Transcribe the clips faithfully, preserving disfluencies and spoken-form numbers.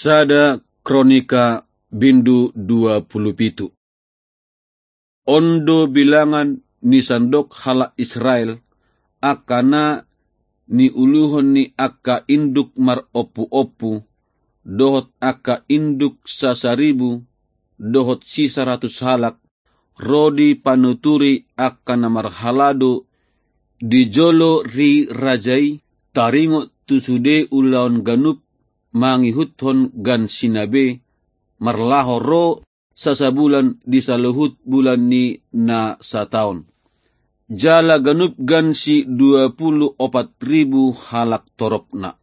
Sada Kronika bindu dua pulu pitu. On do bilangan ni sandok halak Israel, angka na niuluhon ni angka induk marompuompu, dohot angka induk sasaribu, dohot sisaratus halak, ro dipanuturi angka na marhalado di jolo ni raja i, taringot tu sude ulaon ganup mangihuthon gansina be, marlaho ro sasabulan di saluhut bulan ni na sataon. Jala ganup gansi dua pulu opat ribu halak toropna.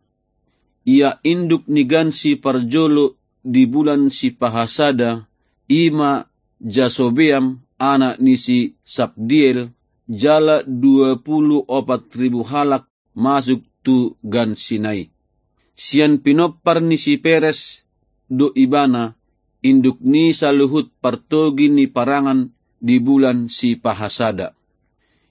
Ia induk ni gansi parjolo di bulan sipahasada, i ma Jasobeam, anak ni si Sabdiel, jala dua pulu opat ribu halak masuk tu gansina i. Sian pinompar ni si Peres do ibana, induk ni saluhut partogi ni parangan di bulan sipahasada.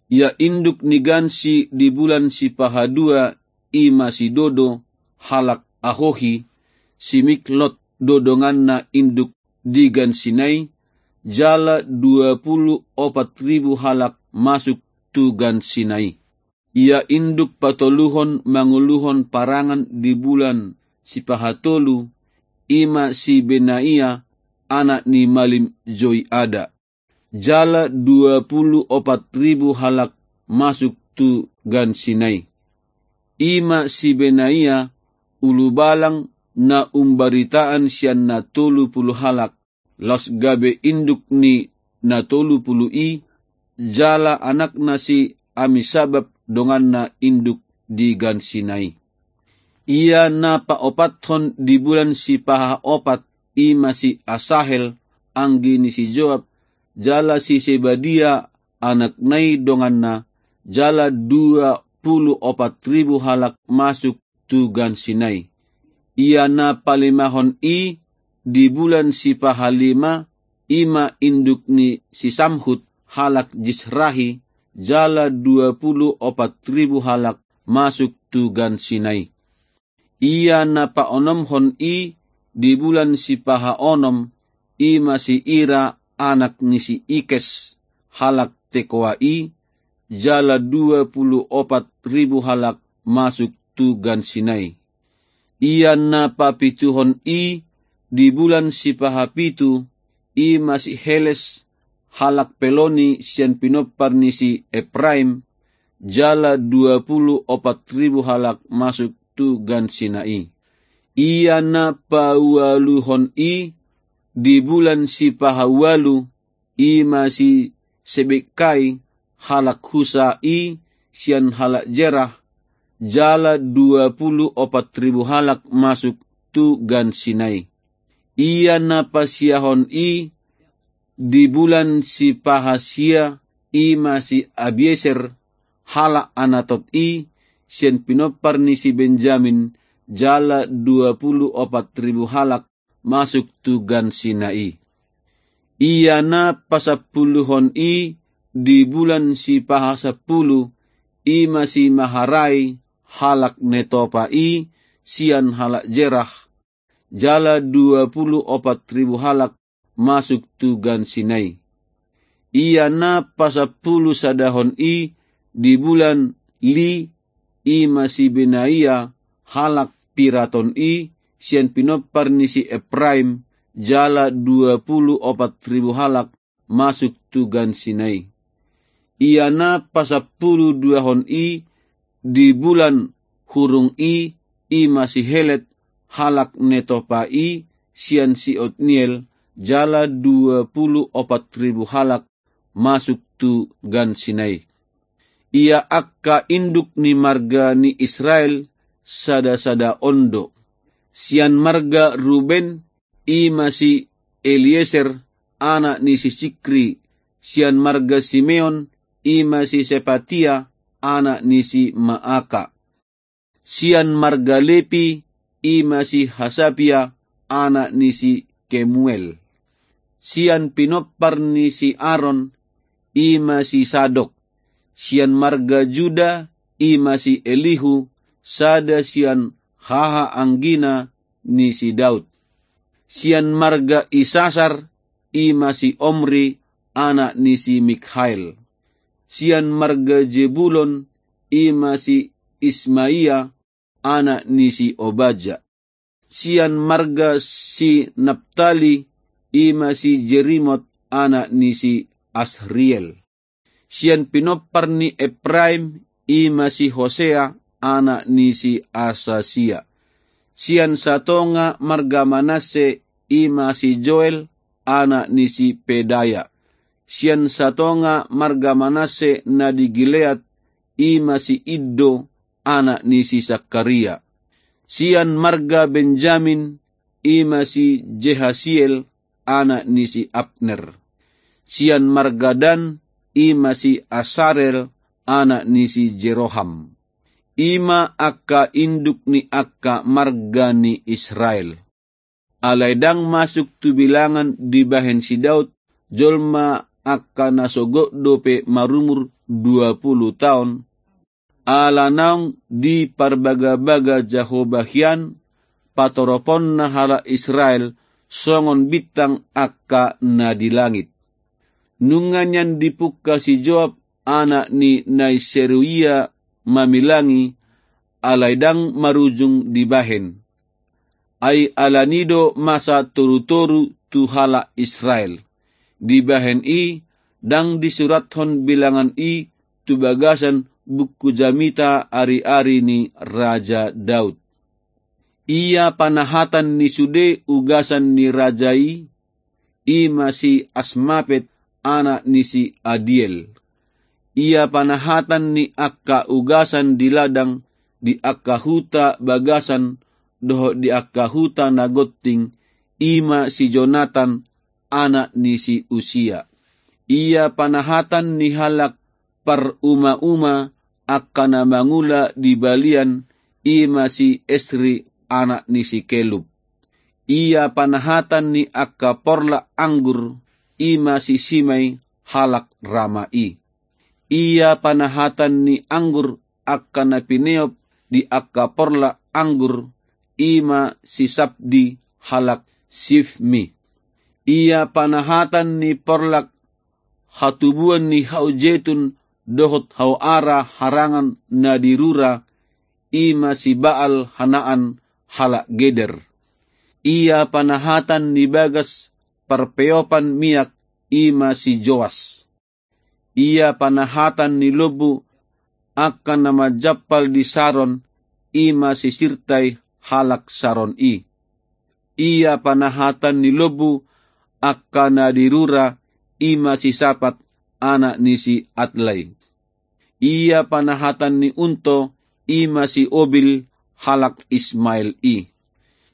Ia induk ni gansi di bulan sipahadua, i ma si Dodo, halak Ahohi, si Miklot do donganna, induk di gansina i, jala dua pulu opat ribu halak masuk tu gansina i. Ia induk patoluhon manguluhon parangan di bulan sipahatolu, i ma si Benaia, anak ni malim Joiada. Jala dua pulu opat ribu halak masuk tu gansina i. I ma si Benaia, ulubalang na umbaritaan sian na tolu pulu halak, laos gabe induk ni na tolu pulu i, jala anakna si Amisabab donganna, induk di gansina i. Ia na paopathon di bulan sipahaopat, i ma si Asahel, anggi ni si Joab, jala si Sebadia, anakna i donganna, jala dua pulu opat ribu halak masuk tu gansina i. Ia na palimahon i di bulan sipahalima, i ma induk ni si Samhut, halak Jisrahi, jala dua pulu opat ribu halak masuk tu gansina i. Ia na paonomhon i di bulan sipahaonom, i ma si Ira, anak ni si Ikes, halak Tekoa i, jala dua pulu opat ribu halak masuk tu gansina i. Ia na papituhon i di bulan sipahapitu, i ma si Heles, halak Peloni, sian pinompar ni si Epraim, jala dua pulu opat ribu halak masuk tu gansina i. Ia na paualuhon i di bulan sipahaualu, i ma si Sebekkai, halak Husa i, sian halak Jerah, jala dua pulu opat ribu halak masuk tu gansina i. Ia na pasiahon i di bulan sipahasia, i ma si Abieser, halak Anatot i, sian pinompar ni si Benjamin, jala dua pulu opat ribu halak masuk tu gansina i. Ia na pasampuluhon i di bulan sipahasampulu, i ma si Maharai, halak Netopa i, sian halak Jerah, jala dua pulu opat ribu halak masuk tu gansina i. Ia na pasampulu sadahon i di bulan Li, i ma si Benaia, halak Piraton i, sian pinompar ni si Epraim, jala dua pulu opat ribu halak masuk tu gansina i. Ia na pasampulu duahon i di bulan Hurung i, i ma si Helet, halak Netopa i, sian si Otniel, jala dua pulu opat ribu halak masuk tu gansina i. Ia angka induk ni marga ni Israel sadasada on do. Sian marga Ruben, i ma si Elieser, anak ni si Sikri, sian marga Simeon, i ma si Sepatia, anak ni si Maaka. Sian marga Lepi, i ma si Hasabia, anak ni si Kemuel. Sian pinompar ni si Aron, i ma si Sadok. Sian marga Juda, i ma si Elihu, sada sian hahaanggina ni si Daud. Sian marga Isasar, i ma si Omri, anak ni si Mikhael. Sian marga Jebulon, i ma si Ismaia, anak ni si Obaja. Sian marga si Naptali, i ma si Jerimot, anak ni si Asriel. Sian pinompar ni Epraim, i ma si Hosea, anak ni si Asasia. Sian satonga marga Manasse, i ma si Joel, anak ni si Pedaya. Sian satonga marga Manasse na di Gilead, i ma si Iddo, anak ni si Sakaria. Sian marga Benjamin, i ma si Jehasiel, anak ni si Abner. Sian marga Dan, i ma si Asarel, anak ni si Jeroham. I ma angka induk ni angka marga ni Israel. Alai ndang masuk tu bilangan dibahen si Daud, jolma angka na so gok dope marumur dua pulu taon, ala naung diparbagabaga Jahowa hian patoroponna halak Israel songon bintang angka na di langit. Nunga nian dipungka si Joab anak ni Nai Seruia mamilangi, alai ndang marujung dibahen. Ai ala ni do masa torutoru tu halak Israel. Dibahen i, ndang disurathon bilangan i tu bagasan buku jamita ariari ni Raja Daud. Ia panahatan ni sude ugasan ni raja i, i ma si Asmapet, anak ni si Adiel. Ia panahatan ni angka ugasan di ladang, di angka huta bagasan, dohot di angka huta na gonting, i ma si Jonatan, anak ni si Usia. Ia panahatan ni halak parumauma angka na mangula di balian, i ma si Esri, anak ni si Kelub. Ia panahatan ni angka porlak anggur, i ma si Simei, halak Rama i. Ia panahatan ni anggur angka na pineop di angka porlak anggur, i ma si Sabdi, halak Sifmi. Ia panahatan ni porlak hatubuan ni hau jetun dohot hau ara harangan na di rura, i ma si Baal Hanaan, halak Geder. Ia panahatan ni bagas parpeopan miak, i ma si Joas. Ia panahatan ni lombu angka na manjampal di Saron, i ma si Sirtai, halak Saron i. Ia panahatan ni lombu angka na di rura, i ma si Sapat, anak ni si Adlai. Ia panahatan ni unto, i ma si Obil, halak Ismael i.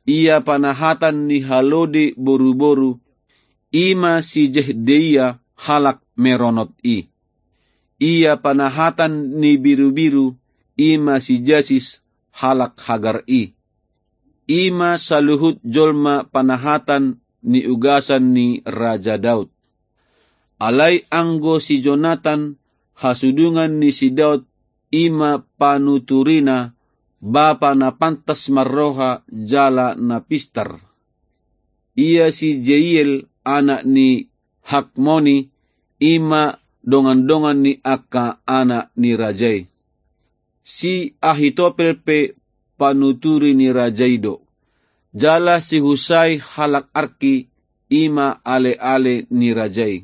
Ia panahatan ni halode boruboru, i ma si Jehdeia, halak Meronot i. Ia panahatan ni birubiru, i ma si Jasis, halak Hagar i. I ma saluhut jolma panahatan ni ugasan ni Raja Daud. Alai anggo si Jonatan, hasudungan ni si Daud, i ma panuturina, bapa na pantas marroha jala na pistar. Ia si Jeiel, anak ni Hakmoni, i ma dongandongan ni angka anak ni raja i. Si Ahitopel pe panuturi ni raja i do. Jala si Husai, halak Arki, i ma aleale ni raja i.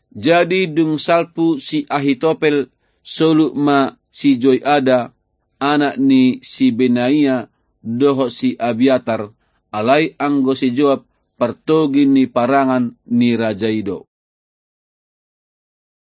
Jadi dung salpu si Ahitopel, soluk ma si Joiada, anak ni si Benaia, dohot si Abiatar, alai anggo si Joab partogi ni parangan ni raja i do.